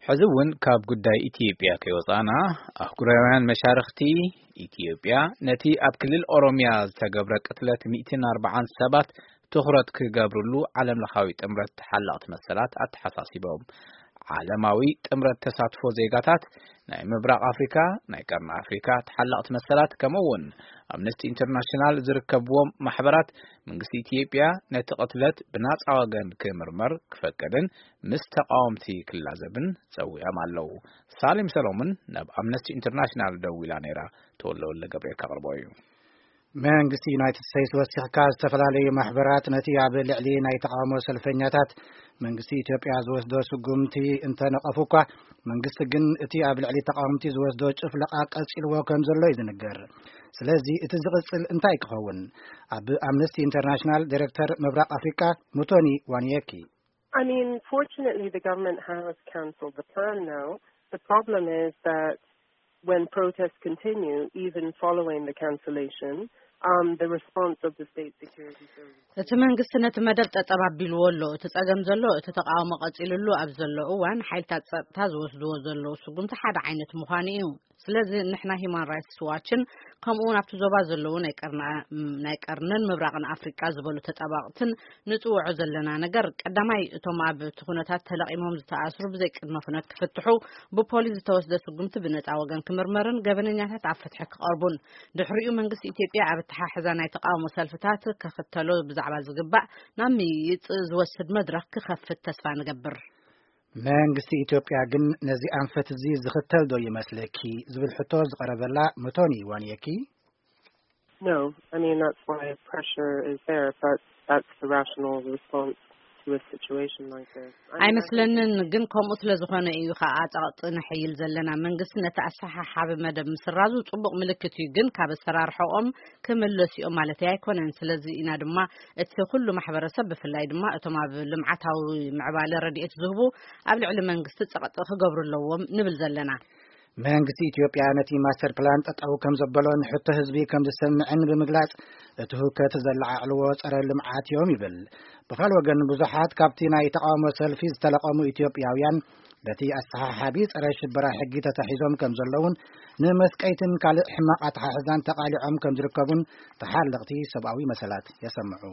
ሕዚ እውን ካብ ጉዳይ ኢትዮጵያ ከይወፃና፣ ኣህጉራውያን መሻርኽቲ ኢትዮጵያ ነቲ ኣብ ክልል ኦሮሚያ ዝተገብረ ቅትለት ሚእትን ኣርባዓን ሰባት ትኹረት ክገብርሉ ዓለም ለኻዊ ጥምረት ተሓላቕቲ መሰላት ኣተሓሳሲቦም። ዓለማዊ ጥምረት ተሳትፎ ዜጋታት ናይ ምብራቕ ኣፍሪካ፣ ናይ ቀርኒ ኣፍሪካ ተሓላቕቲ መሰላት፣ ከምኡ እውን ኣምነስቲ ኢንተርናሽናል ዝርከብዎም ማሕበራት፣ መንግስቲ ኢትዮጵያ ነቲ ቅትለት ብናፃ ወገን ክምርመር ክፈቅድን ምስ ተቃወምቲ ክላዘብን ጸዊዖም ኣለዉ። ሳሌም ሰሎሞን ናብ ኣምነስቲ ኢንተርናሽናል ደዊላ ነይራ። ተወልደ ወልደ ገብርኤል ከቕርቦ እዩ። መንግስቲ ዩናይትድ ስቴትስ ወሲኽካ፣ ዝተፈላለዩ ማሕበራት ነቲ ኣብ ልዕሊ ናይ ተቃውሞ ሰልፈኛታት መንግስቲ ኢትዮጵያ ዝወስዶ ስጉምቲ እንተነቐፉ እኳ፣ መንግስቲ ግን እቲ ኣብ ልዕሊ ተቃወምቲ ዝወስዶ ጭፍለቓ ቀጺልዎ ከም ዘሎ እዩ ዝንገር። ስለዚ እቲ ዝቕጽል እንታይ ክኸውን? ኣብ ኣምነስቲ ኢንተርናሽናል ዲሬክተር ምብራቕ ኣፍሪቃ ሙቶኒ ዋንየኪ። I mean, fortunately, the government has cancelled the plan now. The problem is that when protests continue, even following the cancellation, um, the response of the state security services. እቲ መንግስቲ ነቲ መደብ ጠጠብ ኣቢልዎ ኣሎ። እቲ ጸገም ዘሎ፣ እቲ ተቃውሞ ቀጺሉሉ ኣብ ዘሎ እዋን፣ ሓይልታት ጸጥታ ዝወስድዎ ዘለዉ ስጉምቲ ሓደ ዓይነት ምዃኑ እዩ። ስለዚ ንሕና ሂማን ራይትስ ዋችን፣ ከምኡ እውን ኣብቲ ዞባ ዘለዉ ናይ ቀርና-፣ ናይ ቀርንን ምብራቕን ኣፍሪቃ ዝበሉ ተጣባቕትን ንጽውዖ ዘለና ነገር፣ ቀዳማይ፣ እቶም ኣብ እቲ ኩነታት ተለቒሞም ዝተኣስሩ ብዘይ ቅድመ ኩነት ክፍትሑ፣ ብፖሊስ ዝተወስደ ስጉምቲ ብነጻ ወገን ክምርመርን ገበነኛታት ኣብ ፍትሒ ክቐርቡን፣ ድሕሪኡ መንግስቲ ኢትዮጵያ ኣብ ኣተሓሕዛ ናይ ተቃውሞ ሰልፍታት ከኽተሎ ብዛዕባ ዝግባእ ናብ ምይይጥ ዝወስድ መድረኽ ክኸፍት ተስፋ ንገብር። መንግስቲ ኢትዮጵያ ግን ነዚ ኣንፈት እዚ ዝኽተል ዶ ይመስለኪ ዝብል ሕቶ ዝቐረበላ መቶኒ ዋንየኪ። No, I mean, that's why pressure is there, but that's the rational response to a situation like this. I mean, I think ኣይመስለንን፣ ግን ከምኡ ስለ ዝኾነ እዩ ከዓ ጸቕጢ ነሐይል ዘለና። መንግስቲ ነቲ ኣሰሓሓቢ መደብ ምስራዙ ጽቡቕ ምልክት እዩ፣ ግን ካብ ኣሰራርሖኦም ክምለሱ እዮም ማለት ኣይኮነን። ስለዚ ኢና ድማ እቲ ኩሉ ማሕበረሰብ፣ ብፍላይ ድማ እቶም ኣብ ልምዓታዊ ምዕባለ ረድኤት ዝህቡ፣ ኣብ ልዕሊ መንግስቲ ጸቕጢ ክገብሩ ኣለዎም ንብል ዘለና። መንግስቲ ኢትዮጵያ ነቲ ማስተር ፕላን ጠጠው ከም ዘበሎን ሕቶ ህዝቢ ከም ዝሰምዕን ብምግላጽ፣ እቲ ህውከት ዘለዓዕልዎ ጸረ ልምዓት እዮም ይብል። ብኻልእ ወገን፣ ብዙሓት ካብቲ ናይ ተቃውሞ ሰልፊ ዝተለቐሙ ኢትዮጵያውያን በቲ ኣሰሓሓቢ ጸረ ሽበራ ሕጊ ተታሒዞም ከም ዘለውን ንመስቀይትን ካልእ ሕማቕ ኣተሓሕዛን ተቓሊዖም ከም ዝርከቡን ተሓለቕቲ ሰብኣዊ መሰላት የሰምዑ።